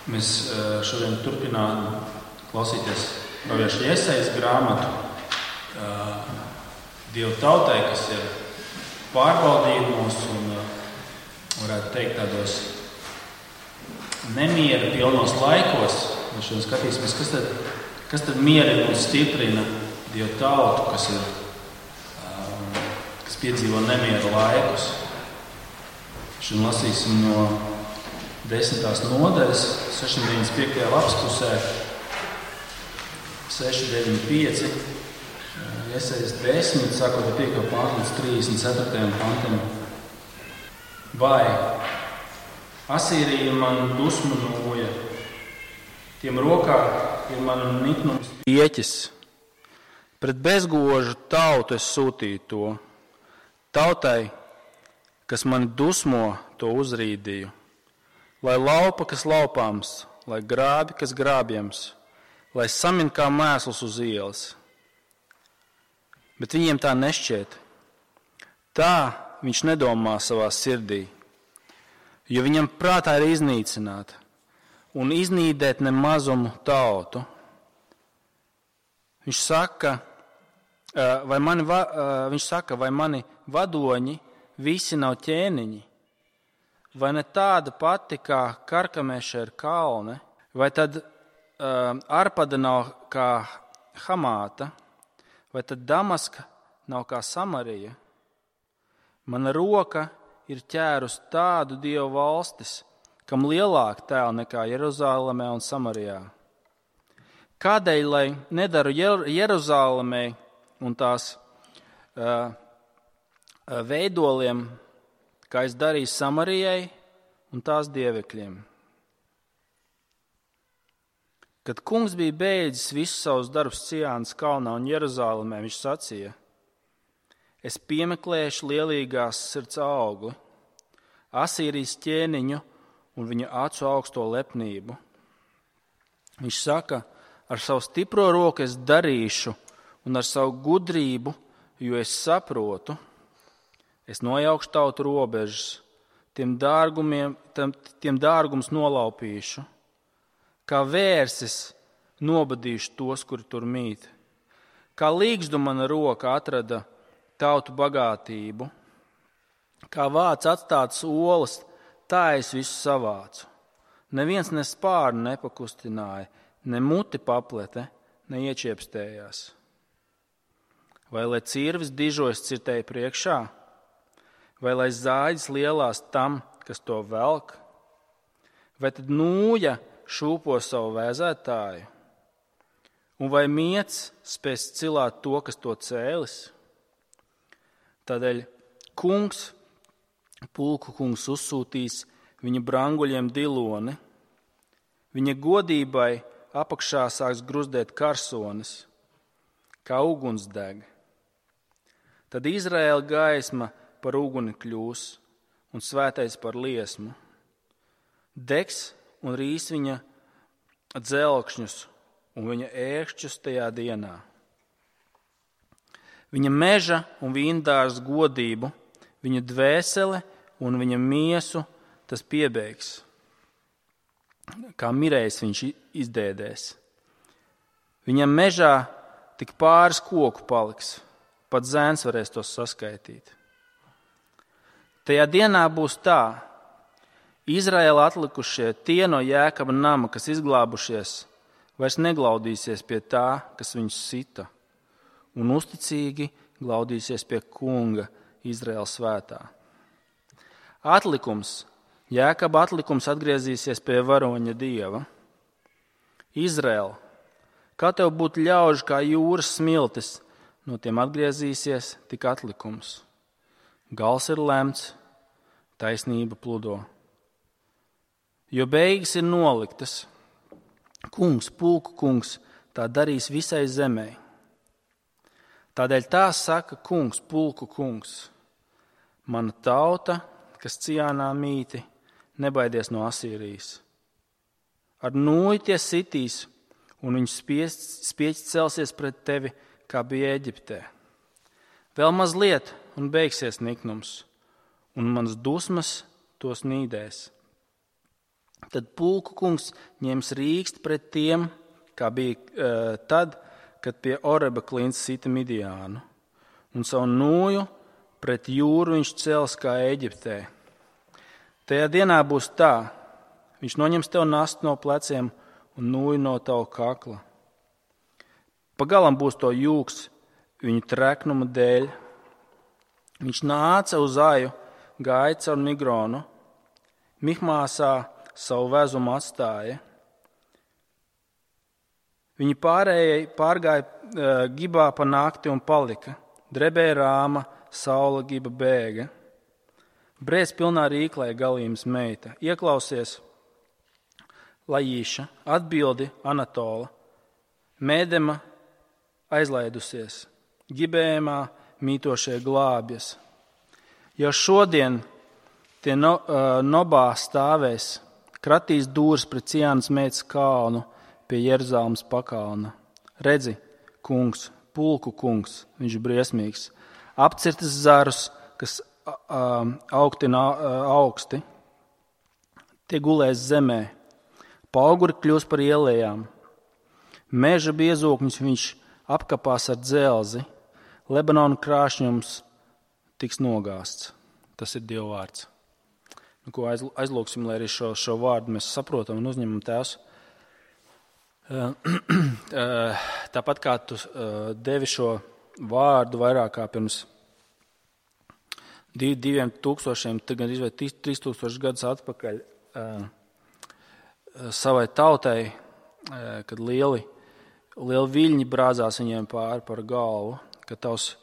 Mēs šodien turpinām klausīties pravieša Jesajas grāmatu Dievu tautai, kas ir pārbaudījumos un, varētu teikt, tādos nemiera pilnos laikos. Mēs šodien skatīsimies, kas tad mierina un stiprina Dievu tautu, kas piedzīvo nemiera laikus. Šodien lasīsim no 10. nodaļas, 695. lapspusē, 695, Jesajas 10, sākot ar 5. pantu līdz 34. pantam. Vai Asīrija man dusmu nūja, tiem rokā ir mana niknums pieķis. Pret bezgožu tautu es sūtīju to, tautai, kas mani dusmo, to uzrīdīju. Lai laupa, kas laupāms, lai grābi, kas grābjams, lai samin kā mēsls uz ielas. Bet viņiem tā nešķiet. Tā viņš nedomā savā sirdī, jo viņam prātā ir iznīcināt un iznīdēt ne mazumu tautu. Viņš saka, vai mani vadoņi visi nav ķēniņi? Vai ne tāda pati kā Karkameša ir kalne, vai tad Arpada nav kā Hamāta, vai tad Damaska nav kā Samarija? Mana roka ir ķērus tādu dievu valstis, kam lielāk tēli nekā Jeruzālemē un Samarijā. Kādēļ, lai nedaru Jeruzālemē un tās veidoliem, kā es darīju Samarijai un tās dievekļiem. Kad kungs bija beidzis visus savus darbus Ciānas kalnā un Jeruzālemē, viņš sacīja: es piemeklēšu lielīgās sirds augli, Asīrijas ķēniņu un viņa acu augsto lepnību. Viņš saka, ar savu stipro roku es darīšu un ar savu gudrību, jo es saprotu, es nojaukšu tautu robežas, tiem dārgums nolaupīšu, kā vērsis nobadīšu tos, kuri tur mīt. Kā līgzdu mana roka atrada tautu bagātību, kā vāc atstātas olas, tā es visu savācu. Neviens ne spārnu nepakustināja, ne muti paplete, ne iečiepstējās. Vai lai cirvis dižojas cirtēji priekšā? Vai lai zāģis lielās tam, kas to velk? Vai tad nūja šūpo savu vēzētāju? Un vai miets spēs cilāt to, kas to cēlis? Tādēļ pulku kungs uzsūtīs viņa branguļiem diloni, viņa godībai apakšā sāks gruzdēt karsonis, kā uguns deg. Tad Izraēla gaisma par uguni kļūs un svētais par liesmu. Degs un rīs viņa dzelkšņus un viņa ērkšķus tajā dienā. Viņa meža un vīndārs godību, viņa dvēsele un viņa miesu tas piebeigs. Kā mirējs viņš izdēdēs. Viņam mežā tik pāris koku paliks, pat zēns varēs tos saskaitīt. Tajā dienā būs tā, Izraēla atlikušie tie no Jēkaba nama, kas izglābušies, vairs neglaudīsies pie tā, kas viņus sita, un uzticīgi glaudīsies pie kunga Izraēla svētā. Jēkaba atlikums atgriezīsies pie varoņa dieva. Izraēla, kā tev būtu ļaužu kā jūras smiltis, no tiem atgriezīsies tik atlikums. Gals ir lemts, taisnība pludo. Jo beigas ir noliktas, pulku kungs tā darīs visai zemē. Tādēļ tā saka kungs, pulku kungs: mana tauta, kas Ciānā mīti, nebaidies no Asīrijas. Ar nūju tie sitīs, un viņu spieķis celsies pret tevi, kā bija Eģiptē. Vēl mazliet, un beigsies niknums, un manas dusmas tos nīdēs. Tad pulku kungs ņems rīkst pret tiem, kā bija tad, kad pie Oreba klints sita Midiānu, un savu nūju pret jūru viņš cels kā Eģiptē. Tajā dienā būs tā, viņš noņems tev nastu no pleciem un nūju no tava kakla. Pagalam būs to jūks viņu treknuma dēļ. Viņš nāca uz Aju, gāja caur Migronu, Mihmāsā savu vezumu atstāja. Viņi pārgāja Gibā pa nakti un palika. Drebēja Rāma, saula Giba bēga. Brēc pilnā rīklē galījums meita. Ieklausies Lajīša, atbildi Anatola. Mēdema aizlaidusies. Gibējumā mītošie glābjas. Jau šodien tie Nobā stāvēs, kratīs dūrs pret Ciānas meitas kalnu pie Jeruzalemes pakalna. Redzi, kungs, pulku kungs, viņš ir briesmīgs, apcirtas zarus, kas augsti, tie gulēs zemē, pauguri kļūs par ielējām, meža biezokņus viņš apkapās ar dzelzi, Lebanona krāšņums tiks nogāsts. Tas ir Dieva vārds. Nu, ko aizlūksim, lai arī šo vārdu mēs saprotam un uzņemam Tēvs. Tāpat kā tu devi šo vārdu vairāk kā pirms 2000, tagad izvēl 3000 gadus atpakaļ savai tautai, kad lieli viļņi brāzās viņiem pāri par galvu, ka tavs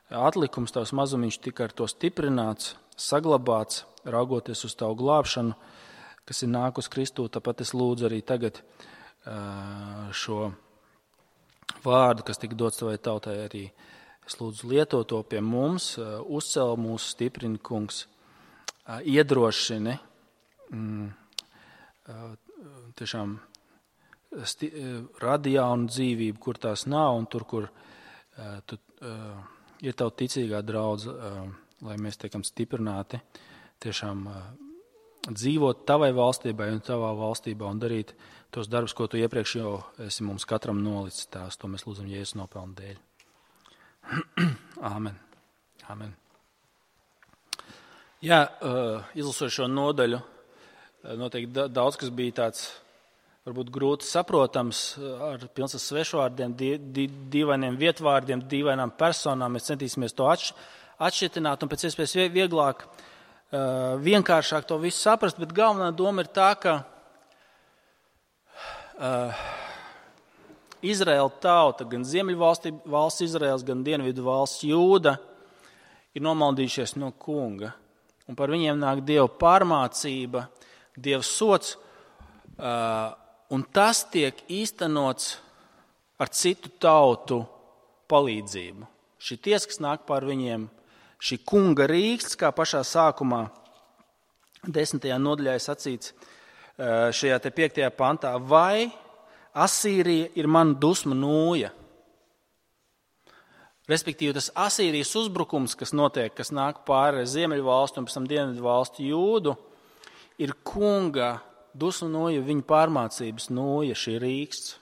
atlikums, tavs mazumiņš tika ar to stiprināts, saglabāts, raugoties uz tavu glābšanu, kas ir nākus Kristū. Tāpat es lūdzu arī tagad šo vārdu, kas tika dots tavai tautai, arī es lūdzu lietot to pie mums, uzcel mūs, stiprini, kungs, iedrošini, tiešām radi jaunu dzīvību, kur tās nav, un tur, kur tu ir tavu ticīgā draudze, lai mēs tiekam stiprināti, tiešām dzīvot tavai valstībai un tavā valstībā un darīt tos darbus, ko tu iepriekš jau esi mums katram nolicis. Tās, to mēs lūdzam Jēzus nopelnu dēļ. Āmen. Āmen. Jā, izlasot šo nodaļu, noteikti daudz, kas bija tāds varbūt grūti saprotams, ar pilns ar svešvārdiem, dīvainiem vietvārdiem, dīvainām personām. Mēs centīsimies to atšķitināt un pēc iespējas vieglāk, vienkāršāk to visu saprast, bet galvenā doma ir tā, ka Izraēla tauta, gan ziemeļvalsts Izraēls, gan dienvidu valsts Jūda ir nomaldījušies no kunga. Un par viņiem nāk Dieva pārmācība, Dieva sots, un tas tiek īstenots ar citu tautu palīdzību. Šī tiesa, kas nāk pār viņiem, šī kunga rīksts, kā pašā sākumā 10. nodaļā sacīts šajā te 5. pantā, vai Asīrija ir mana dusma nūja. Respektīvi, tas Asīrijas uzbrukums, kas notiek, kas nāk pāri ziemeļu valstu un pēc tam dienvidu valstu Jūdu, ir kunga dusmu nūja, viņa pārmācības nūja, šī rīksts.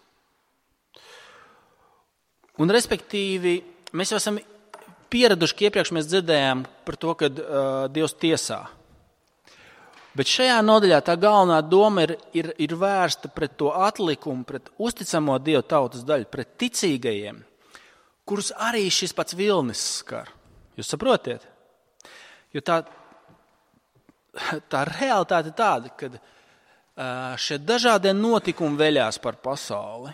Un, respektīvi, mēs jau esam pieraduši, ka iepriekš mēs dzirdējām par to, ka Dievs tiesā. Bet šajā nodaļā tā galvenā doma ir vērsta pret to atlikumu, pret uzticamo Dievu tautas daļu, pret ticīgajiem, kurus arī šis pats vilnis skar. Jūs saprotiet? Jo tā realitāte ir tāda, ka šie dažādie notikumi veļās par pasauli.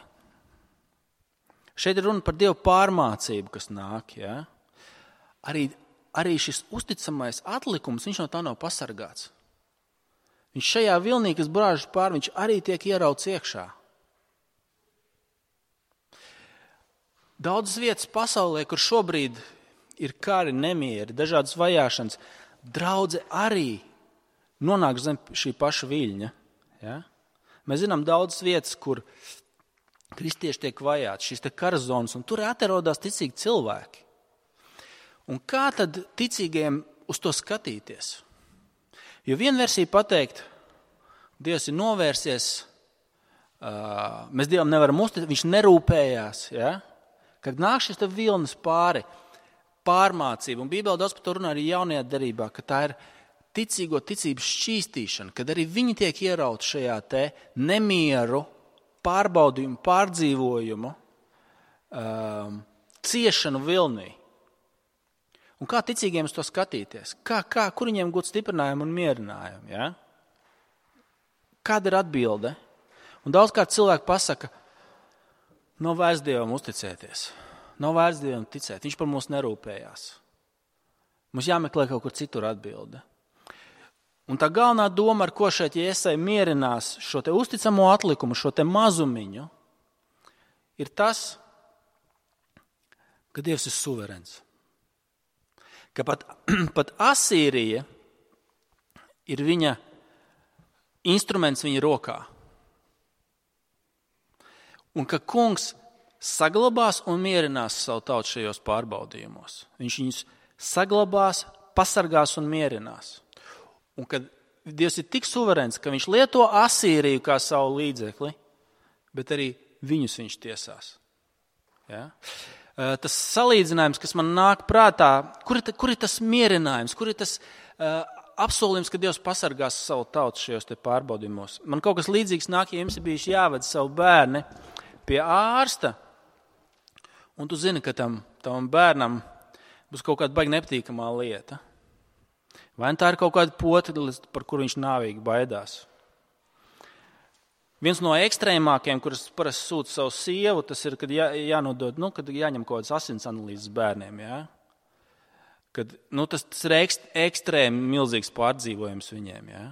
Šeit ir runa par Dievu pārmācību, kas nāk. Ja? Arī šis uzticamais atlikums, viņš no tā nav pasargāts. Viņš šajā vilnī, kas brāžas pār, viņš arī tiek ierauts iekšā. Daudzas vietas pasaulē, kur šobrīd ir kari, nemieri, dažādas vajāšanas, draudze arī nonāk zem šī paša viļņa. Ja? Mēs zinām daudzas vietas, kur kristieši tiek vajāti, šīs te karazonas, un tur atrodas ticīgi cilvēki. Un kā tad ticīgajiem uz to skatīties? Jo viena versija pateikt, Dievs ir novērsies, mēs Dievam nevaram uzticēt, viņš nerūpējās, ja? Kad nāk šis vilnis pāri, pārmācība, un Bībelē daudz par to runā arī jaunajā derībā, ka tā ir ticības šķīstīšana, kad arī viņi tiek ierauti šajā te nemieru, pārbaudījumu, pārdzīvojumu, ciešanu vilnī. Un kā ticīgiem uz to skatīties? Kur viņiem gūt stiprinājumu un mierinājumu? Ja? Kāda ir atbilde? Un daudzkārt cilvēki pasaka, nav vairs Dievam uzticēties, nav vairs Dievam ticēt, viņš par mums nerūpējās. Mums jāmeklē kaut kur citur atbilde. Un tā galvenā doma, ar ko šeit Jesaja mierinās šo te uzticamo atlikumu, šo te mazumiņu, ir tas, ka Dievs ir suverens. Ka pat Asīrija ir viņa instruments viņa rokā. Un ka kungs saglabās un mierinās savu tautu šajos pārbaudījumos. Viņš viņus saglabās, pasargās un mierinās. Un kad Dievs ir tik suverens, ka viņš lieto Asīriju kā savu līdzekli, bet arī viņus viņš tiesās. Ja? Tas salīdzinājums, kas man nāk prātā, kur ir tas mierinājums, kur ir tas apsolījums, ka Dievs pasargās savu tautu šajos te pārbaudījumos. Man kaut kas līdzīgs nāk, ja jums ir bijis jāved savu bērni pie ārsta, un tu zini, ka tam bērnam būs kaut kāda baigi nepatīkamā lieta. Vai tā ir kaut kāda potelis, par kuru viņš nāvīgi baidās. Viens no ekstrēmākiem, kurus parasti sūta savu sievu, tas ir, kad jānodod, kad jāņem kaut kādas asins analīzes bērniem. Ja? Kad, tas ir ekstrēmi milzīgs pārdzīvojums viņiem. Ja?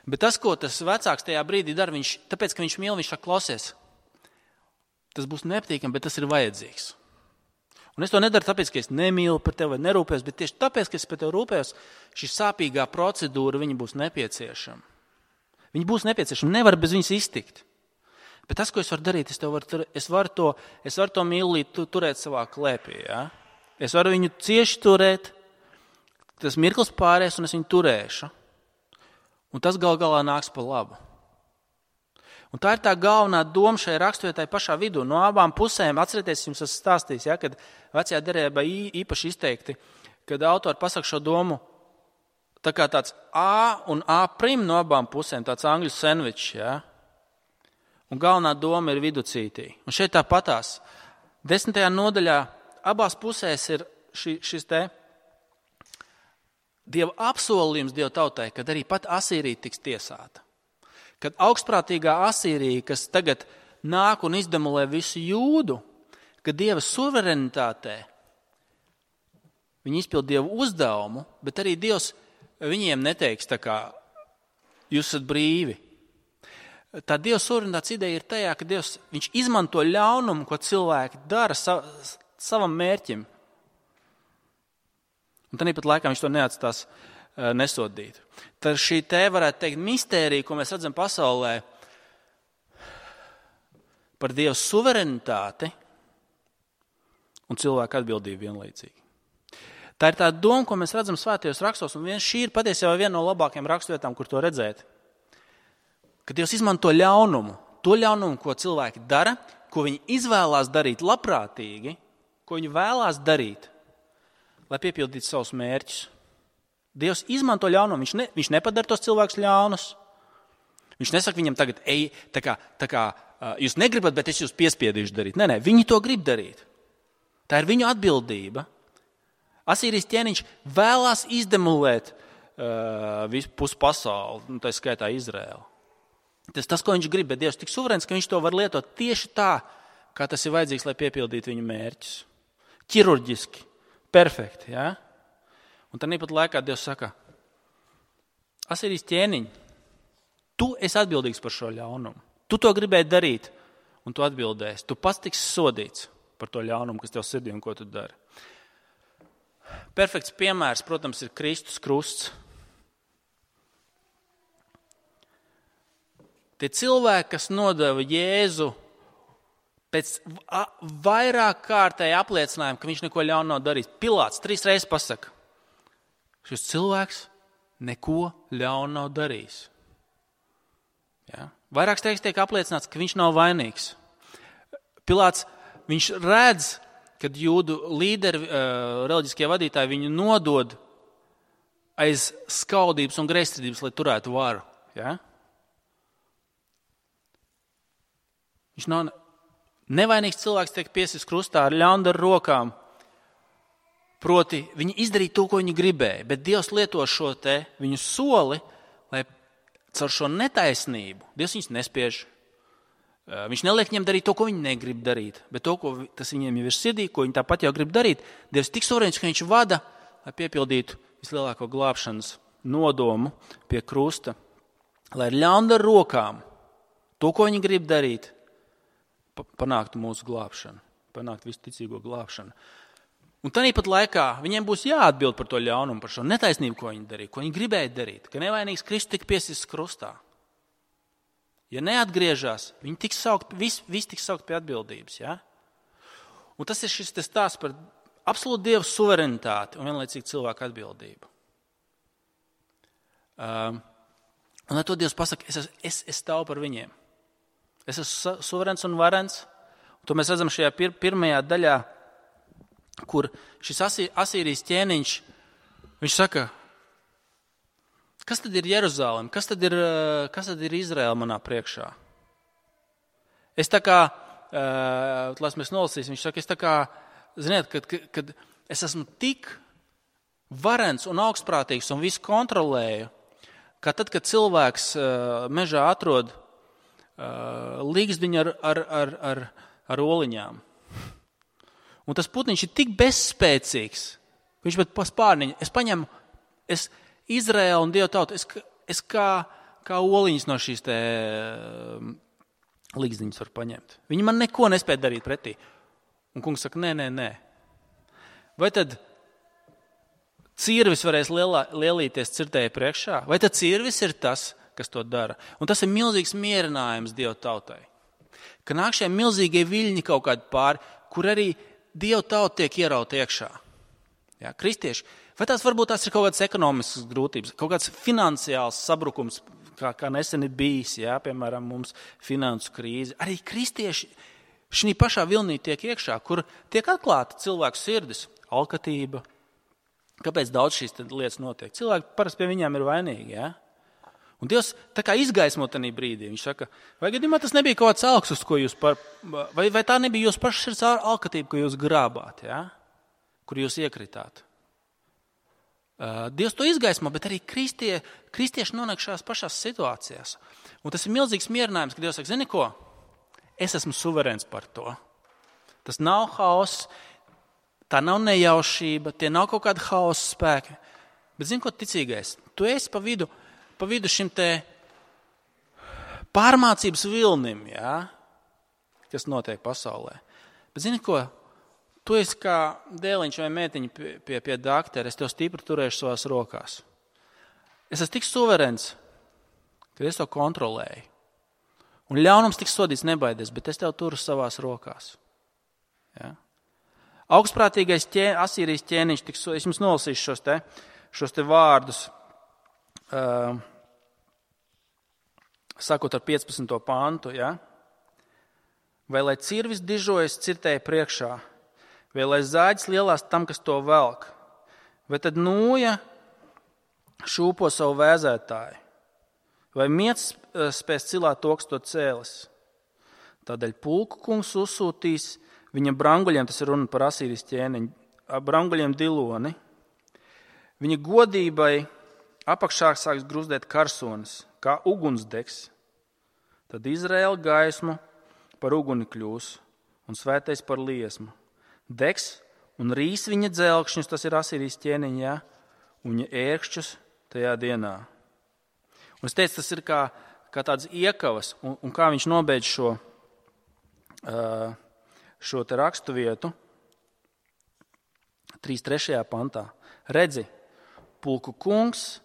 Bet tas, ko tas vecāks tajā brīdī dara, tāpēc, ka viņš mīl, viņš saka, klausies, tas būs nepatīkami, bet tas ir vajadzīgs. Un es to nedaru tāpēc, ka es nemīlu par tevi vai nerūpējos, bet tieši tāpēc, ka es par tevi rūpējos, šī sāpīgā procedūra viņa būs nepieciešama. Viņi būs nepieciešami, nevar bez viņas iztikt. Bet tas, ko es varu darīt, es varu to mīlīt turēt savā klēpī. Ja? Es varu viņu cieši turēt, tas mirklis pāries un es viņu turēšu. Un tas gal galā nāks pa labu. Un tā ir tā galvenā doma šai raksturvietai pašā vidū. No abām pusēm, atcerieties, jums esmu stāstījis, ja, kad vecajā derībā īpaši izteikti, kad autori pasaka šo domu, tā kā tāds A un A' no abām pusēm, tāds angļu sandvičs, ja? Un galvenā doma ir viducītī. Un šeit tāpatās 10. nodaļā abās pusēs ir šis te Dieva apsolījums Dieva tautai, kad arī pat Asīrija tiks tiesāta. Kad augstprātīgā Asīrija, kas tagad nāk un izdemolē visu Jūdu, kad Dieva suverenitātē viņi izpild Dieva uzdevumu, bet arī Dievs viņiem neteiks, tā kā jūs esat brīvi. Tā Dieva suverenitātes ideja ir tajā, ka Dievs viņš izmanto ļaunumu, ko cilvēki dara savam mērķim. Un tāpat laikā viņš to neatstās nesodīt. Tad šī te varētu teikt mistērija, ko mēs redzam pasaulē par Dieva suverenitāti un cilvēku atbildību vienlaicīgi. Tā ir tā doma, ko mēs redzam svētajos rakstos, un šī ir patiesībā viena no labākajām raksturvietām, kur to redzēt. Kad Dievs izmanto ļaunumu, to ļaunumu, ko cilvēki dara, ko viņi izvēlās darīt labprātīgi, ko viņi vēlās darīt, lai piepildītu savus mērķus. Dievs izmanto ļaunumu, viņš nepadara tos cilvēkus ļaunus. Viņš nesaka viņam tagad, ej, tā kā jūs negribat, bet es jūs piespiedīšu darīt. Nē, viņi to grib darīt. Tā ir viņu atbildība. Asīrijas ķēniņš vēlās izdemolēt visu pusi pasauli, tā skaitā Izraēlu. Tas, ko viņš grib, bet Dievs tik suverēns, ka viņš to var lietot tieši tā, kā tas ir vajadzīgs, lai piepildītu viņu mērķus. Ķirurģiski, perfekti. Ja? Un tad pat laikā Dievs saka, Asīrijas ķēniņ, tu esi atbildīgs par šo ļaunumu. Tu to gribēji darīt, un tu atbildēsi. Tu pats tiksi sodīts par to ļaunumu, kas tev sirdī un ko tu dari. Perfekts piemērs, protams, ir Kristus krusts. Tie cilvēki, kas nodeva Jēzu pēc vairāk kārtēji apliecinājuma, ka viņš neko ļaunu nav darījis. Pilāts 3 reizes pasaka, šis cilvēks neko ļaunu nav darījis. Ja? Vairākas reizes tiek apliecināts, ka viņš nav vainīgs. Pilāts, viņš redz, kad jūdu līderi, reliģiskie vadītāji viņu nodod aiz skaudības un greizsirdības, lai turētu varu. Ja? Viņš nav nevainīgs cilvēks, tiek piesists krustā ar ļaundaru rokām. Proti, viņi izdarīja to, ko viņi gribēja, bet Dievs lieto šo viņu soli, lai caur šo netaisnību Dievs viņus nespiež. Viņš neliek viņiem darīt to, ko viņi negrib darīt, bet to, tas viņiem jau ir sirdī, ko viņi tāpat jau grib darīt. Dievs tik suverēns, ka viņš vada, lai piepildītu vislielāko glābšanas nodomu pie krusta, lai ar ļaundaru rokām to, ko viņi grib darīt, panāktu mūsu glābšanu, panāktu visu ticīgo glābšanu. Un tāpat laikā viņiem būs jāatbild par to ļaunumu, par šo netaisnību, ko viņi darīja, ko viņi gribēja darīt, ka nevainīgs Kristus tika piesists krustā. Ja neatgriežas, viņi tiks saukt, visi tiks saukt pie atbildības. Ja? Un tas ir šis stāsts par absolūtu Dieva suverenitāti un vienlaicīgi cilvēku atbildību. Un ar to Dievs pasaka, es stāvu par viņiem. Es esmu suverens un varens. Un to mēs redzam šajā pirmajā daļā, kur šis Asīrijas ķēniņš, viņš saka, kas tad ir Jeruzalem, kas tad ir Izraela manā priekšā? Es tā kā, lai mēs nolasīsim, viņš saka, es tā kā, ziniet, kad es esmu tik varens un augstprātīgs un visu kontrolēju, ka tad, kad cilvēks mežā atrod līgzdiņu ar oliņām, un tas putniņš ir tik bezspēcīgs, ka viņš pat pa spārniņu, es Izraēlu un Dievu tautu, es kā oliņas no šīs te līgzdiņas var paņemt. Viņi man neko nespēja darīt pretī. Un kungs saka, nē. Vai tad cirvis varēs lielīties cirtēja priekšā? Vai tad cirvis ir tas, kas to dara? Un tas ir milzīgs mierinājums Dievu tautai. Ka nāk šie milzīgie viļņi kaut kādi pāri, kur arī Dievu tauta tiek ierauta iekšā. Ja, kristieši, vai varbūt tās ir kaut kādas ekonomiskas grūtības, kaut kāds finansiāls sabrukums, kā nesen ir bijis, ja, piemēram, mums finansu krīze. Arī kristieši šī pašā vilnī tiek iekšā, kur tiek atklāta cilvēku sirdis, alkatība. Kāpēc daudz šīs lietas notiek? Cilvēki parasti pie viņām ir vainīgi. Ja? Un Dievs tā kā izgaismo tajā brīdī. Viņš saka, vai gadījumā tas nebija kaut kāds augsts, ko jūs vai tā nebija jūsu paša sirds alkatība, ko jūs grābāt, ja? Kur jūs iekritāt. Dievs to izgaismo, bet arī kristieši nonāk šās pašās situācijās. Un tas ir milzīgs mierinājums, ka Dievs saka, zini ko? Es esmu suverēns par to. Tas nav hauss, tā nav nejaušība, tie nav kaut kādi hausa spēki. Bet zini ko, ticīgais? Tu esi pa vidu šim te pārmācības vilnim, ja? Kas notiek pasaulē. Bet zini ko? Tu esi kā dēliņš vai mētiņa pie daktera, es tev stipri turēšu savās rokās. Es esmu tik suverēns, ka es to kontrolēju. Un ļaunums tiks sodīts nebaidies, bet es tev turu savās rokās. Ja? Augstprātīgais Asīrijas ķēniņš, es jums nolasīšu šos te vārdus, sakot ar 15. pantu, ja? Vai lai cirvis dižojas cirtēja priekšā, vai lai zāģis lielās tam, kas to velk, vai tad nūja šūpo savu vēzētāju, vai miets spēs cilāt to, kas to cēlis. Tādēļ pulku kungs uzsūtīs viņa branguļiem, tas ir runa par Asīrijas ķēniņu, branguļiem diloni. Viņa godībai apakšā sāks gruzdēt karsonis, kā ugunsdegs. Tad Izraēla gaismu par uguni kļūs un svētais par liesmu. Degs un rīs viņa dzelkšņus, tas ir Asīrijas ķēniņā, un viņa ērkšķus tajā dienā. Un es teicu, tas ir kā tāds iekavas, un kā viņš nobeidz šo te rakstu vietu 3.3. pantā. Redzi, pulku kungs,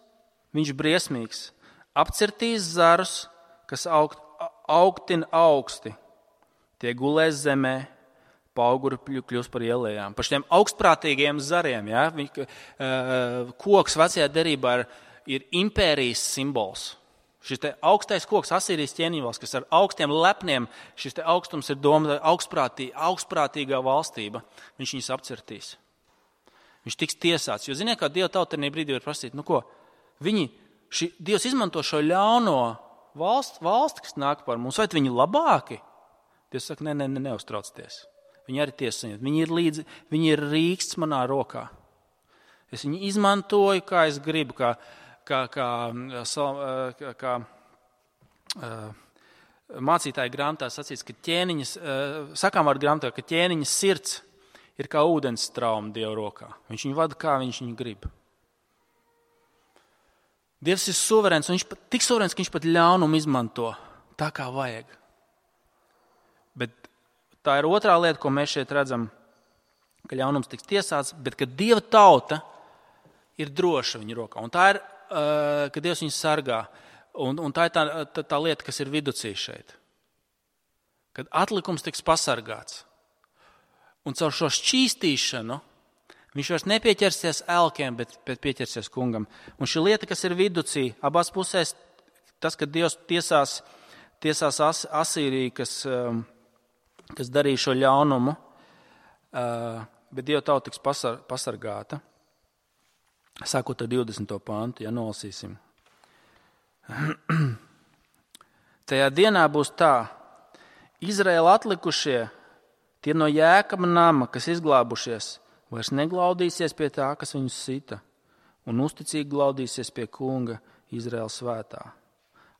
viņš briesmīgs, apcirtīs zarus, kas augtina augsti, tie gulēs zemē, pauguri kļūst par ielējām. Par šiem augstprātīgiem zariem, ja? Koks vecajā derībā ir impērijas simbols. Šis te augstais koks, Asīrijas ķēniņvalsts, kas ar augstiem lepniem, šis te augstums ir doma augstprātīgā valstība, viņš viņus apcertīs. Viņš tiks tiesāts. Jo ziniet, kā Dieva tauta tajā brīdī var prasīt, Dievs izmanto šo ļauno valsti, kas nāk par mums, vai viņi labāki? Dievs saka, neuztraucieties. Viņi arī tiesā. Viņi ir rīksts manā rokā. Es viņu izmantoju, kā es gribu, kā mācītāja grāmatā sacīts, ka sakāmvārdu grāmatā, ka ķēniņa sirds ir kā ūdens strauma Dieva rokā. Viņš viņu vada, kā viņš viņu grib. Dievs ir suverēns, un viņš tik suverēns, ka viņš pat ļaunumu izmanto tā, kā vajag. Bet tā ir otrā lieta, ko mēs šeit redzam, ka ļaunums tiks tiesāts, bet ka Dieva tauta ir droša viņa rokā. Un tā ir, ka Dievs viņu sargā. Un tā ir tā lieta, kas ir viducī šeit. Kad atlikums tiks pasargāts. Un caur šo šķīstīšanu viņš vairs nepieķersies elkiem, bet pieķersies kungam. Un šī lieta, kas ir viducī, abās pusēs, tas, ka Dievs tiesās Asīriju, kas darīja šo ļaunumu, bet Dieva tauta tiks pasargāta. Sākot ar 20. pantu, nolasīsim. Tajā dienā būs tā, Izraēla atlikušie, tie no Jēkaba nama, kas izglābušies, vairs neglaudīsies pie tā, kas viņus sita, un uzticīgi glaudīsies pie kunga Izraēla svētā.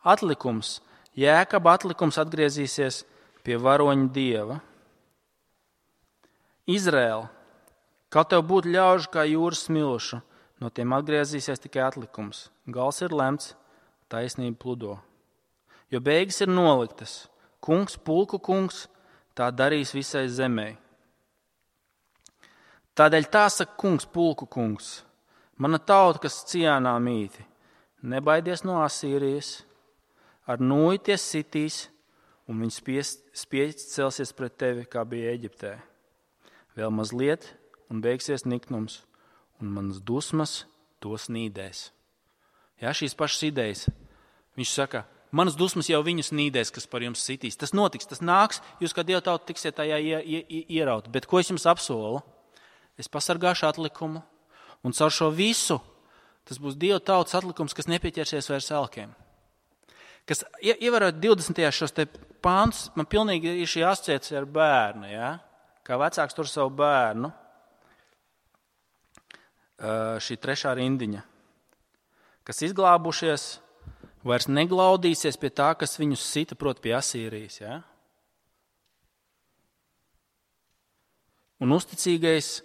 Atlikums, Jēkaba atlikums atgriezīsies pie varoņa Dieva. Izraēla, kā tev būtu ļaužu kā jūras smilšu, no tiem atgriezīsies tikai atlikums. Gals ir lemts, taisnība pludo. Jo beigas ir noliktas, kungs, pulku kungs, tā darīs visai zemē. Tādēļ tā saka kungs, pulku kungs, mana tauta, kas Ciānā mīti, nebaidies no Asīrijas, ar nūju tie sitīs, un viņi spieķis celsies pret tevi, kā bija Eģiptē. Vēl mazliet, un beigsies niknums, un manas dusmas tos nīdēs. Šīs pašas idejas. Viņš saka, manas dusmas jau viņus nīdēs, kas par jums sitīs. Tas notiks, tas nāks, jūs kā Dieva tauta tiksiet tajā ieraut. Bet ko es jums apsolu? Es pasargāšu atlikumu, un caur šo visu tas būs Dieva tautas atlikums, kas nepieķersies vairs elkiem. Kas ievērot 20. šos te pāntus, man pilnīgi ir šī asociācija ar bērnu, kā vecāks tur savu bērnu. Šī 3. rindiņa, kas izglābušies, vairs neglaudīsies pie tā, kas viņus sita, proti pie Asīrijas. Un uzticīgais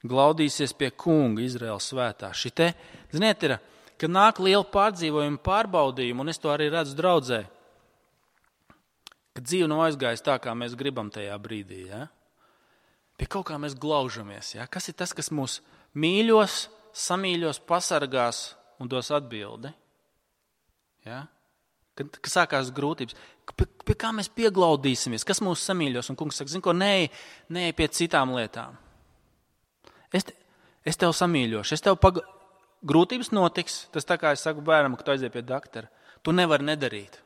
glaudīsies pie kunga Izraēlas svētā. Šite, ziniet, ir, kad nāk liela pārdzīvojuma pārbaudījuma, un es to arī redzu draudzē, kad dzīve nav aizgājusi tā, kā mēs gribam tajā brīdī. Pie kaut kā mēs glaužamies. Kas ir tas, kas mūs mīļos, samīļos, pasargās un dos atbildi? Kad sākās grūtības, pie kā mēs pieglaudīsimies, kas mūs samīļos? Un kungs saka, zini ko, neej pie citām lietām. Es tev samīļošu, grūtības notiks, tas tā kā es saku bērnam, ka tu aizies pie doktora. Tu nevari nedarīt.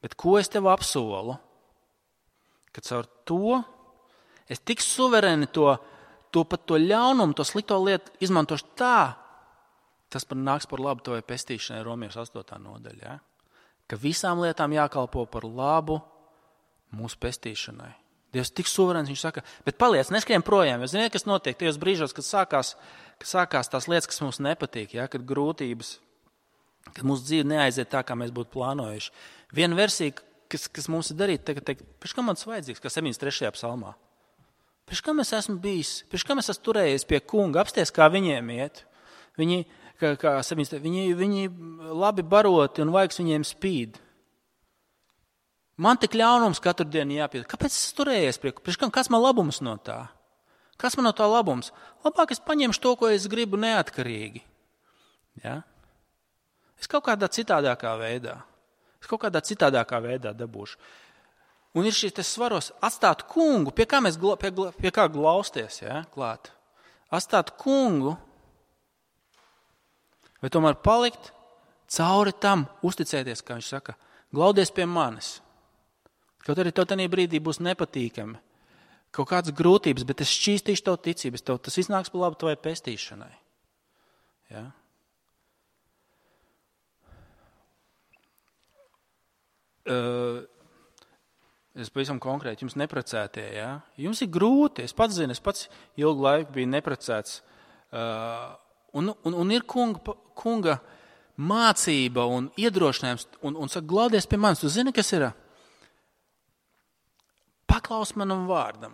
Bet ko es tev apsolu? Ka caur to es tik suverēni to ļaunumu, to slikto lietu izmantošu tā, tas nāks par labu tavai pestīšanai, Romiešu 8. nodaļa. Ka visām lietām jākalpo par labu mūsu pestīšanai. Dievs tik suverēns, viņš saka, bet paliec, neskrien projām. Jūs zināt, kas notiek tajos brīžos, kad sākās tās lietas, kas mums nepatīk, kad grūtības, kad mūsu dzīve neaiziet tā, kā mēs būtu plānojuši. Viena versija, kas mums ir darīta, teikt, pēc kā man tas vajadzīgs, kā 73. psalmā. Pēc kā es esmu bijis, pēc kā es esmu turējies pie kunga, apsties, kā viņiem iet. Viņi labi baroti un vaigs viņiem spīd. Man tik ļaunums katru dienu jāpied. Kāpēc es turējies pie kunga? Kas man labums no tā? Kas man no tā labums? Labāk es paņemšu to, ko es gribu neatkarīgi. Es kaut kādā citādākā veidā dabūšu. Un ir šīs svaros atstāt kungu, pie kā glausties, klāt. Atstāt kungu, vai tomēr palikt cauri tam uzticēties, kā viņš saka, glaudies pie manis. Kaut arī tev tajā brīdī būs nepatīkami, kaut kādas grūtības, bet es šķīstīšu tev ticību, tas iznāks par labu tavai pestīšanai. Ja? Es pavisam konkrēti, jums neprecētie, ja? Jums ir grūti, es pats zinu, es pats ilgu laiku biju neprecēts. Un ir kunga mācība un iedrošinājums, un saka, glaudies pie manis. Tu zini, kas ir? Paklaus manam vārdam.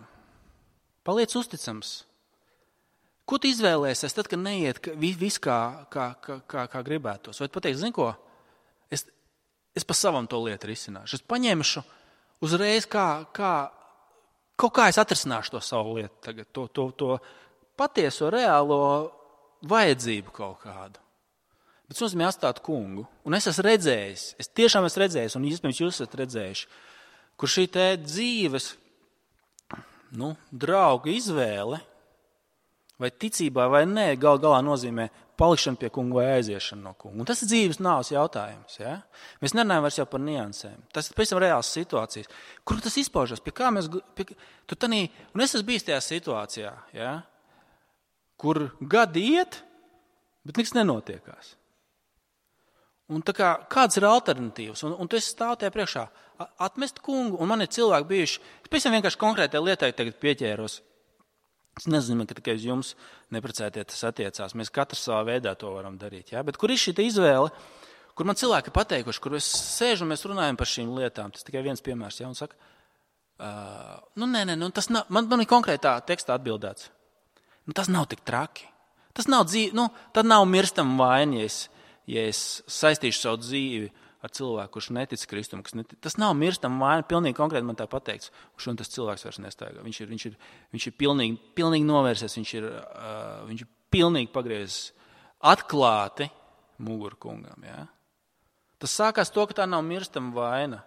Paliec uzticams. Ko tu izvēlēsies tad, kad neiet viss kā gribētos? Vai tu pateiks, zini ko? Es pa savam to lietu risināšu. Es paņemšu uzreiz kaut kā es atrisināšu to savu lietu tagad, to patieso, reālo vajadzību kaut kādu. Bet es nozīmē atstāt kungu. Un es esmu redzējis, es tiešām esmu redzējis, un iespējams jūs esat redzējuši, kur šī te dzīves, drauga izvēle, vai ticībā vai nē, galā nozīmē palikšana pie kunga vai aiziešana no kunga. Un tas ir dzīves nāves jautājums. Ja? Mēs nerunājam vairs jau par niansēm. Tas ir pavisam reāls situācijas. Kur tas izpaužas? Pie kā mēs... Un es esmu bijis tajā situācijā, ja? Kur gadi iet, bet nekas nenotiekās. Un tā kā, kādas ir alternatīvas? Un tu esi stāv tajā priekšā. Atmest kungu, un man ir cilvēki bijuši... Es pavisam vienkārši konkrētai lietai tagad pieķēros. Es nezinu, ka tikai uz jums neprecētie tas attiecās. Mēs katrs savā veidā to varam darīt. Ja? Bet kur ir šī izvēle, kur man cilvēki pateikuši, kur es sēžu un mēs runājam par šīm lietām. Tas tikai viens piemērs. Ja? Un saka, tas nav, man ir konkrētā tekstā atbildēts. Tas nav tik traki. Tas nav dzīve, tad nav mirstama vaina, ja es saistīšu savu dzīvi ar cilvēku, kurš netic Kristum. Tas nav mirstama vaina, pilnīgi konkrēti man tā pateikts. Un tas cilvēks vairs nestaigā. Viņš ir pilnīgi novērsies, viņš ir pilnīgi pagriezis atklāti muguru kungam. Ja? Tas sākās to, ka tā nav mirstama vaina.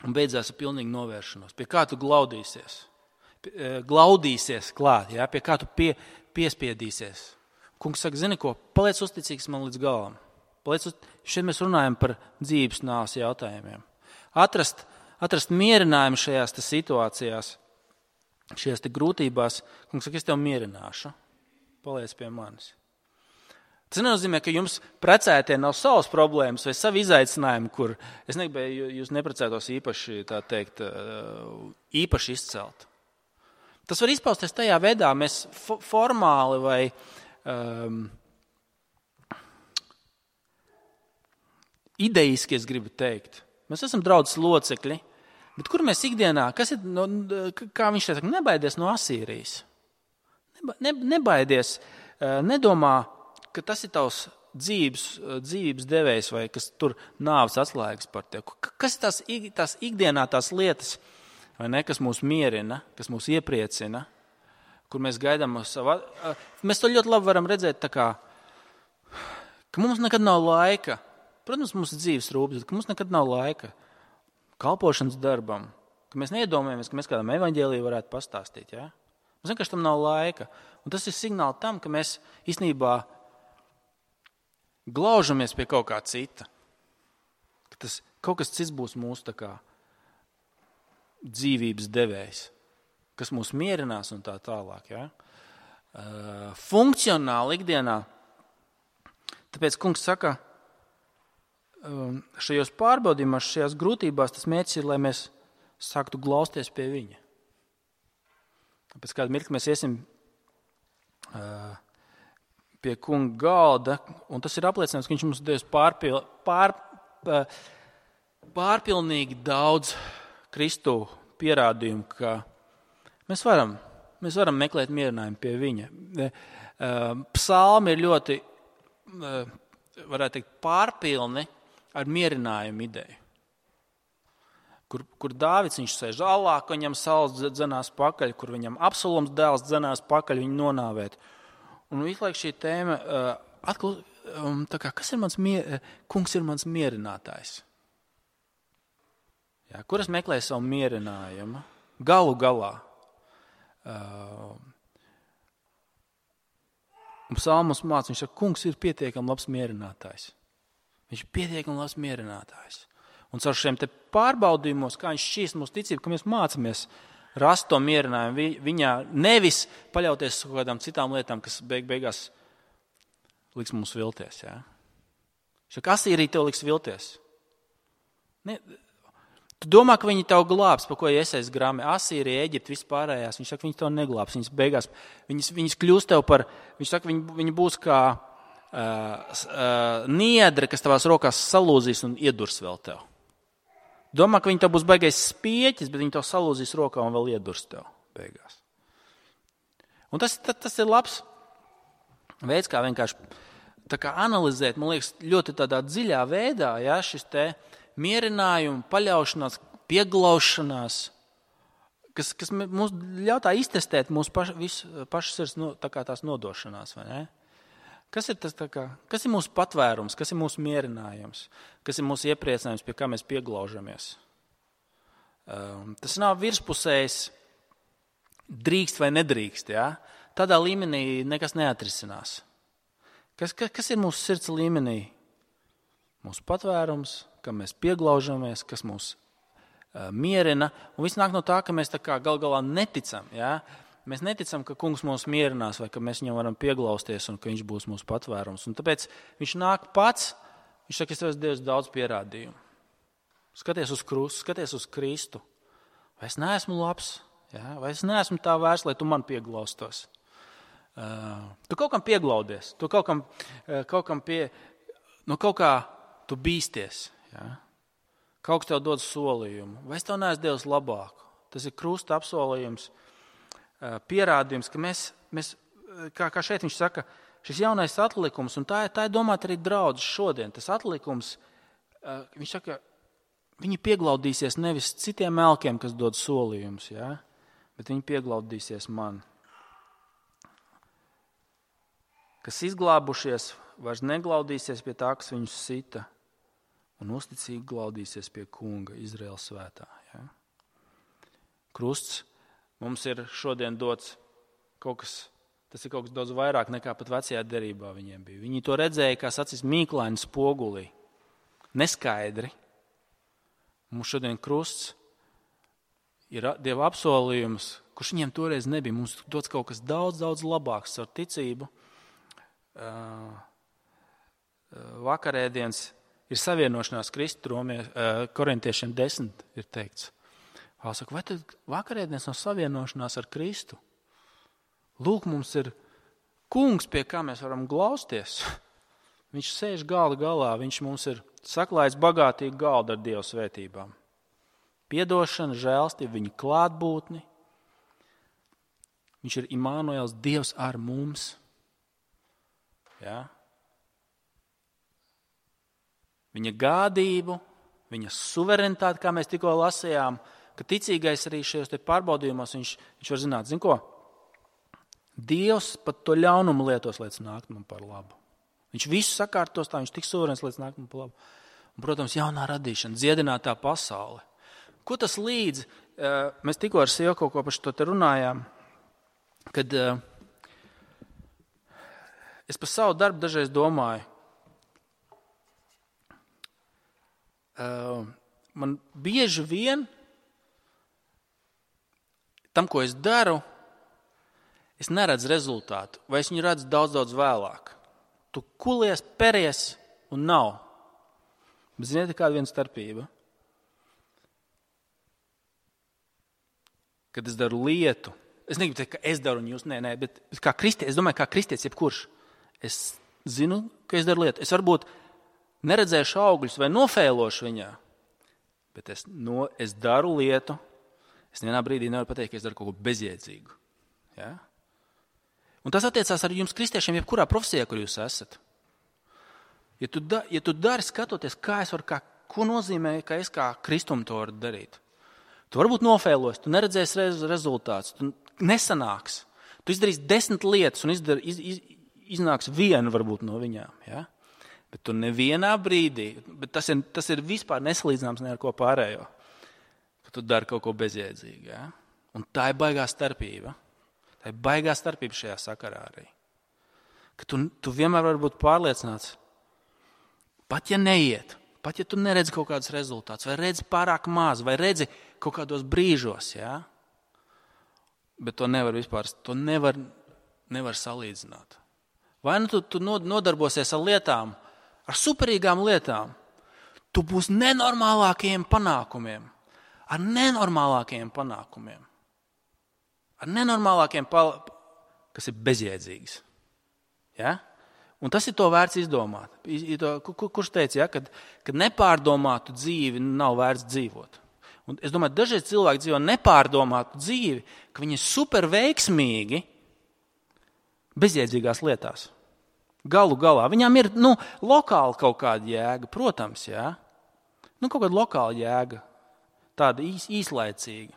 Un beidzās ar pilnīgu novēršanos. Pie kā tu glaudīsies klāt, ja? Pie kā tu piespiedīsies. Kungs saka, zini ko, paliec uzticīgs man līdz galam. Šeit mēs runājam par dzīves nāves jautājumiem. Atrast mierinājumu šajās situācijās, šajās grūtībās. Kungs saka, es tev mierināšu. Paliec pie manis. Tas nenozīmē, ka jums precētie nav savas problēmas vai savi izaicinājumi, kur es negribēju jūs neprecētos īpaši izcelt. Tas var izpausties tajā veidā, mēs formāli vai idejiski, es gribu teikt. Mēs esam draudzes locekļi, bet kur mēs ikdienā, kā viņš saka, nebaidies no Asīrijas. Nebaidies, nedomā, ka tas ir tavs dzīvības devējs vai kas tur nāves atslēgas par tevi. Kas ir tās ikdienā tās lietas, vai ne, kas mūs mierina, kas mūs iepriecina, kur mēs gaidām savu... Mēs to ļoti labi varam redzēt tā kā, ka mums nekad nav laika. Protams, mums ir dzīves rūpes, bet ka mums nekad nav laika kalpošanas darbam, ka mēs neiedomājamies, ka mēs kādam evaņģēliju varētu pastāstīt. Ja? Mums vienkārši tam nav laika. Un tas ir signāli tam, ka mēs īstenībā glaužamies pie kaut kā cita. Ka kaut kas cits būs mūsu tā kā dzīvības devējs, kas mūs mierinās un tā tālāk. Ja? Funkcionāli ikdienā. Tāpēc kungs saka, šajos pārbaudījumos, šajās grūtībās tas mērķis ir, lai mēs sāktu glausties pie viņa. Pēc kāda mirkļa mēs iesim pie kunga galda, un tas ir apliecinājums, ka viņš mums devis pārpilnīgi daudz Kristu pierādījumu, ka mēs varam meklēt mierinājumu pie viņa. Psalmi ir ļoti, varētu teikt, pārpilni ar mierinājumu ideju. Kur Dāvids viņš sēž alā, ka viņam Sauls dzenās pakaļ, kur viņam Absaloms dēls dzenās pakaļ, viņu nonāvēt. Un visu laiku šī tēma, kas ir kungs ir mans mierinātājs. Jā, kur es meklēju savu mierinājumu? Galu galā. Un psalmus māca, viņš saka, kungs ir pietiekami labs mierinātājs. Viņš ir pietiekami labs mierinātājs. Un caur šiem te pārbaudījumos, kā viņš šķīst mūsu ticību, ka mēs mācāmies rast to mierinājumu viņā, nevis paļauties uz kādām citām lietām, kas beigās liks mums vilties. Ja? Saka, Asīrija tev liks vilties. Ne, tu domā, ka viņi tev glābs, pa ko Iesaijas grāmē. Asīrija, Eģipte, vispārējās. Viņš saka, viņi tev neglābs. Viņas beigās, viņas kļūst tev par, viņš saka, viņi būs kā niedre, kas tavās rokās salūzīs un iedurs vēl tev. Domā, ka viņi tev būs baigais spieķis, bet viņi tev salūzīs rokā un vēl iedurs tev beigās. Un tas ir labs veids, kā vienkārši tā kā analizēt, man liekas, ļoti tādā dziļā veidā, ja, šis te mierinājums, paļaušanās, pieglaušanās, kas mums ļautā iztestēt mūsu pašu sirds tā kā tās nodošanās, vai ne? Kas ir tas, kas ir mūsu patvērums, kas ir mūsu mierinājums, kas ir mūsu iepriecinājums, pie kā mēs pieglaužamies? Tas nav virspusējs drīkst vai nedrīkst, ja? Tādā līmenī nekas neatrisinās. Kas ir mūsu sirds līmenī? Mūsu patvērums, kam mēs pieglaužamies, kas mūs mierina. Un viss nāk no tā, ka mēs tā kā gal galā neticam. Ja? Mēs neticam, ka kungs mūs mierinās vai ka mēs viņam varam pieglausties un ka viņš būs mūsu patvērums. Un tāpēc viņš nāk pats, viņš saka, es tev esmu devis daudz pierādījumu. Skaties uz krustu, skaties uz Kristu. Vai es neesmu labs? Ja? Vai es neesmu tā vērts, lai tu man pieglaustos? Tu kaut kam pieglaudies, tu kaut kā tu bīsties. Ja? Kaut kas tev dod solījumu. Vai es tev neesmu devis labāku? Tas ir krusta apsolījums, pierādījums, ka mēs kā šeit viņš saka, šis jaunais atlikums, un tā ir domāt arī draudzes šodien, tas atlikums, viņš saka, viņi pieglaudīsies nevis citiem elkiem, kas dod solījumus, ja? Bet viņi pieglaudīsies man. Kas izglābušies, vairs neglaudīsies pie tā, kas viņus sita, un uzticīgi glaudīsies pie kunga, Izraēlas svētā. Ja? Krusts mums ir šodien dots tas ir kaut kas daudz vairāk nekā pat vecajā derībā viņiem bija. Viņi to redzēja, kā sacīs mīklaini spogulī, neskaidri. Mums šodien krusts ir Dieva apsolījums, kurš viņiem toreiz nebija. Mums dots kaut kas daudz, daudz labāks ar ticību. Vakarēdienas ir savienošanās Kristu, Korintiešiem 10 ir teikts. Saka, vai tad vakarēdienas nav savienošanās ar Kristu? Lūk, mums ir kungs, pie kā mēs varam glausties. Viņš sēž galda galā, viņš mums ir saklājis bagātīgu galdu ar Dieva svētībām. Piedošana, žēlstība, viņa klātbūtni. Viņš ir Imānuēls, Dievs ar mums. Ja? Viņa gādību, viņa suverenitāti, kā mēs tikko lasījām, ka ticīgais arī šajos te pārbaudījumos viņš var zināt, zin ko? Dievs pat to ļaunumu lietos, lai tas nākt man par labu. Viņš visu sakārtos tā, viņš tik suverens, lai tas nākt man par labu. Un, protams, jaunā radīšana, dziedinātā pasaule. Ko tas līdz? Mēs tikko ar sievu kaut ko par šo te runājām, kad es par savu darbu dažreiz domāju. Man bieži vien tam, ko es daru, es neredzu rezultātu, vai es viņu redzu daudz, daudz vēlāk. Tu kulies, peries un nav. Bet ziniet, kāda viena starpība? Kad es daru lietu, es negribu teikt, ka es daru un jūs, nē, bet kā kristietis, es domāju, kā kristietis jebkurš. Es zinu, ka es daru lietu. Es varbūt neredzēšu augļus vai nofēlošu viņā, bet es daru lietu. Es nevienā brīdī nevaru pateikt, ka es daru kaut ko bezjēdzīgu. Ja? Un tas attiecās arī jums kristiešiem, jebkurā profesijā, kur jūs esat. Ja tu dari skatoties, ko nozīmē, ka es kā kristumi to varu darīt. Tu varbūt nofēlos, tu neredzēsi rezultātus, tu nesanāks. Tu izdarīsi 10 lietas un iznāks viena varbūt no viņām. Ja? Bet tu nevienā brīdī, bet tas ir vispār nesalīdzināms ne ar ko pārējo, ka tu dari kaut ko bezjēdzīgu. Ja? Un tā ir baigā starpība. Tā ir baigā starpība šajā sakarā arī. ka tu vienmēr vari būt pārliecināts, pat ja neiet, pat ja tu neredzi kaut kādus rezultātus, vai redzi pārāk maz, vai redzi kaut kādos brīžos, ja? Bet to nevar vispār, to nevar salīdzināt. Vai nu tu nodarbosies ar lietām, ar superīgām lietām, tu būsi nenormālākajiem panākumiem, ar nenormālākajiem panākumiem, kas ir bezjēdzīgs. Ja? Un tas ir to vērts izdomāt. Kurš teica, ja, kad nepārdomātu dzīvi nav vērts dzīvot. Un es domāju, dažreiz cilvēki dzīvo nepārdomātu dzīvi, ka viņi ir super veiksmīgi bezjēdzīgās lietās. Galu galā. Viņām ir lokāli kaut kāda jēga, protams, ja? Kaut kāda lokāla jēga, tāda īslaicīga.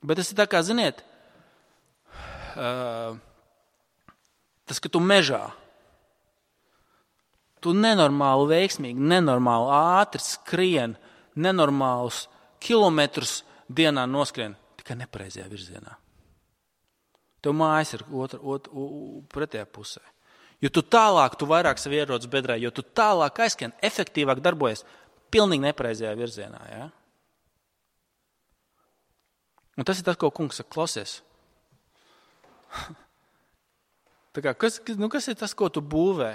Bet tas ir tā kā, ziniet, tas, ka tu mežā, tu nenormāli veiksmīgi, nenormāli ātri skrien, nenormālus kilometrus dienā noskrien, tikai nepareizajā virzienā. Tev mājas ir pretējā pusē. Jo tu tālāk, tu vairāk sev ierodas bedrē, jo tu tālāk aizskrien, efektīvāk darbojas pilnīgi nepareizajā virzienā. Ja? Un tas ir tas, ko kungs saka, klausies. Kas ir tas, ko tu būvē?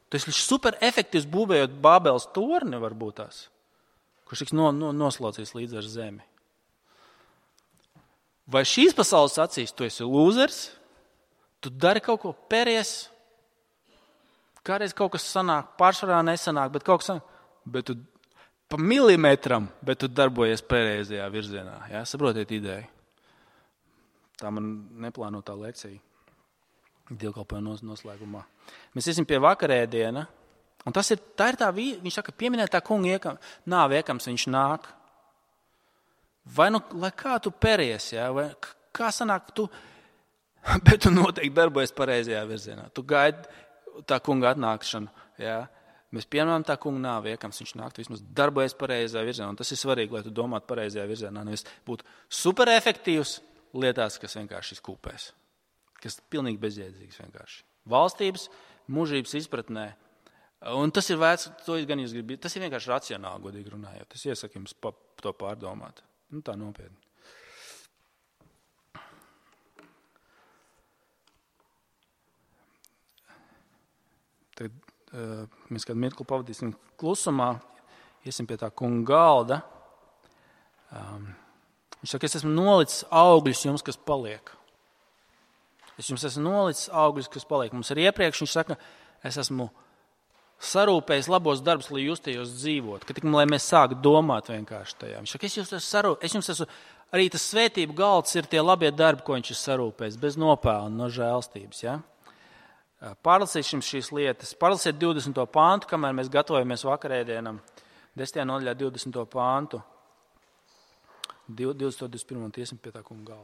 Tu esi super efektīvs būvējot Bābeles torni, varbūt tās, kurš tiks noslaucīs līdz ar zemi. Vai šīs pasaules acīs tu esi lūzers, tu dari kaut ko pēries, kādreiz kaut kas sanāk, pārsvarā nesanāk, bet kaut kas sanāk, bet tu pa milimetram, bet tu darbojies pareizajā virzienā. Ja? Saprotiet ideju? Tā man neplānotā lekcija. Dievkalpojuma noslēgumā. Mēs iesim pie vakarēdiena, un tā ir tā, viņš saka, pieminēt tā kunga nāve iekams, viņš nāk. Vai lai kā tu pēries, ja? Vai kā sanāk, bet tu noteikti darbojies pareizajā virzienā. Tu gaidi tā kunga atnākšanu, ja? Mēs pieminām tā kunga nāve iekams, viņš nāk, vismaz darbojies pareizajā virzienā, un tas ir svarīgi, lai tu domātu pareizajā virzienā, nevis būtu superefektīvs lietās, kas vienkārši skūpēs. Kas pilnīgi bezjēdzīgs vienkārši. Valstības, mūžības izpratnē. Un tas ir vērts, tas ir vienkārši racionāli, godīgi runājot. Es iesaku jums to pārdomāt. Tā nopietni. Tad mēs kādu mirkli pavadīsim klusumā, iesim pie tā kunga galda. Viņš saka, es esmu nolicis augļus jums, kas paliek. Es jums esmu nolicis augļus, kas paliek. Mums ir iepriekš, viņš saka, es esmu sarūpējis labos darbus, lai jūs tajos dzīvot. Ka tik, lai mēs sāktu domāt vienkārši tajā. Viņš saka, es jums esmu, arī tas svētību galds ir tie labie darbi, ko viņš ir sarūpējis, bez nopelna, no žēlstības. Ja? Pārlasīsim šīs lietas. Pārlasiet 20. pāntu, kamēr mēs gatavojamies vakarēdienam. 10. nodaļā 20. pāntu. 20. 21. tiesim pie tā kunga galda.